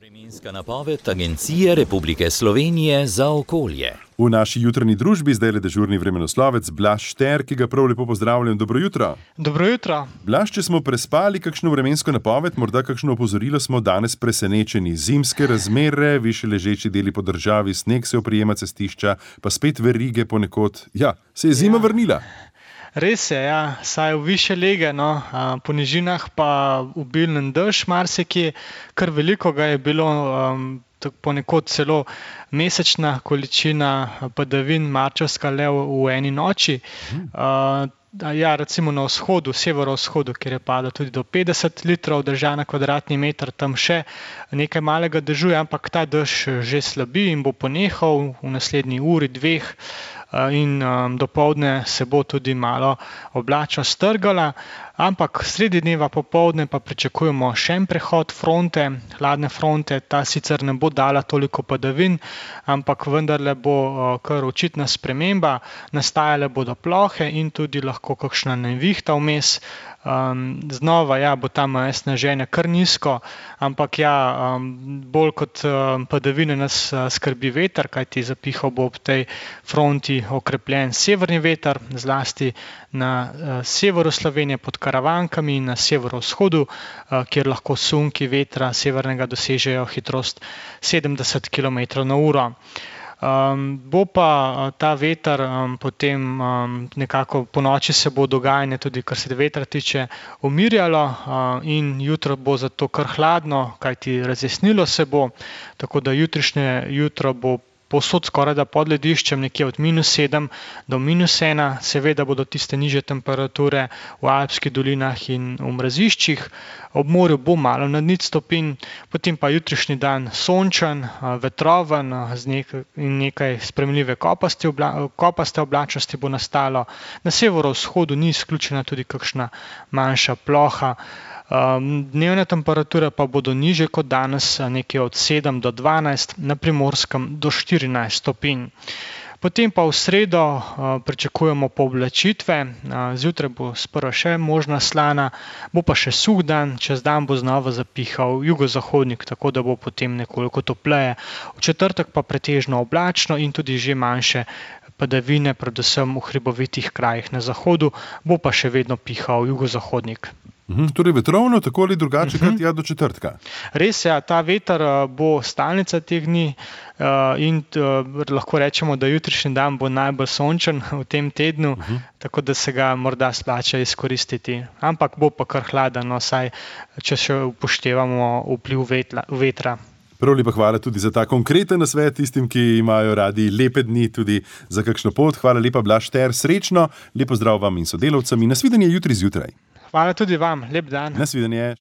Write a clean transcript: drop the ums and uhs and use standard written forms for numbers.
Vremenska napoved Agencije Republike Slovenije za okolje. V naši jutranji družbi zdaj le dežurni vremenoslovec Blaž Šter, ki ga prav lepo pozdravljam. Dobro jutro. Dobro jutro. Blaž, če smo prespali kakšno vremensko napoved, morda kakšno opozorilo, smo danes presenečeni. Zimske razmere, višje ležeči deli po državi, sneg se oprijema cestišča, pa spet verige ponekod. Ja, se je zima vrnila. Res je, ja, saj v više lege, po nižinah pa obilen dež marsikje, kar veliko ga je bilo, ponekod celo mesečna količina padavin marčevska le v eni noči. Ja, recimo na vzhodu, severovzhodu, kjer je padlo tudi do 50 litrov dežja na kvadratni meter, tam še nekaj malega dežuje, ampak ta dež že slabi in bo ponehal v naslednji uri, dveh. In dopoldne se bo tudi malo oblačnost strgala, ampak sredi dneva popoldne pa pričakujemo še en prehod fronte, hladne fronte. Ta sicer ne bo dala toliko padavin, ampak vendarle bo kar očitna sprememba, nastajale bodo plohe in tudi lahko kakšna nevihta vmes. Znova bo tam sneženje kar nizko, ampak bolj kot padavine nas skrbi veter, kajti zapihal bo ob tej fronti okrepljen severni veter, zlasti na severu Slovenije pod Karavankami in na severovzhodu, kjer lahko sunki vetra severnega dosežejo hitrost 70 km/h. Bo pa ta veter potem nekako po noči se bo dogajanje tudi, kar se vetra tiče, umirjalo in jutro bo zato kar hladno, kajti razjasnilo se bo, tako da jutrišnje jutro bo povsod skoraj da pod lediščem, nekje od -7 do -1, seveda bodo tiste nižje temperature v alpskih dolinah in v mraziščih, ob morju bo malo nad 0 stopinj, potem pa jutrišnji dan sončen, vetroven in nekaj sprejemljive kopaste oblačnosti bo nastalo. Na severovzhodu ni izključena tudi kakšna manjša ploha. Dnevne temperature pa bodo nižje kot danes, nekje od 7 do 12, na Primorskem do 14 stopinj. Potem pa v sredo pričakujemo pooblačitve, zjutraj bo sprva še možna slana, bo pa še suh dan, čez dan bo znova zapihal jugozahodnik, tako da bo potem nekoliko topleje. V četrtek pa pretežno oblačno in tudi že manjše padavine, predvsem v hribovitih krajih na zahodu, bo pa še vedno pihal jugozahodnik. Torej vetrovno, tako ali drugače, kot do četrtka. Res je, ta veter bo stalnica teh dni in lahko rečemo, da jutrišnji dan bo najbolj sončen v tem tednu, tako da se ga morda splača izkoristiti. Ampak bo pa kar hladen, saj če še upoštevamo vpliv vetra. Prav lepa hvala tudi za ta konkreten nasvet tistim, ki imajo radi lepe dni tudi za kakšno pot. Hvala lepa, Blaž Šter, srečno, lepo zdrav vam in sodelavcem in nasvidenje jutri zjutraj. Hvala tudi vam, lep dan. Nasvidenje.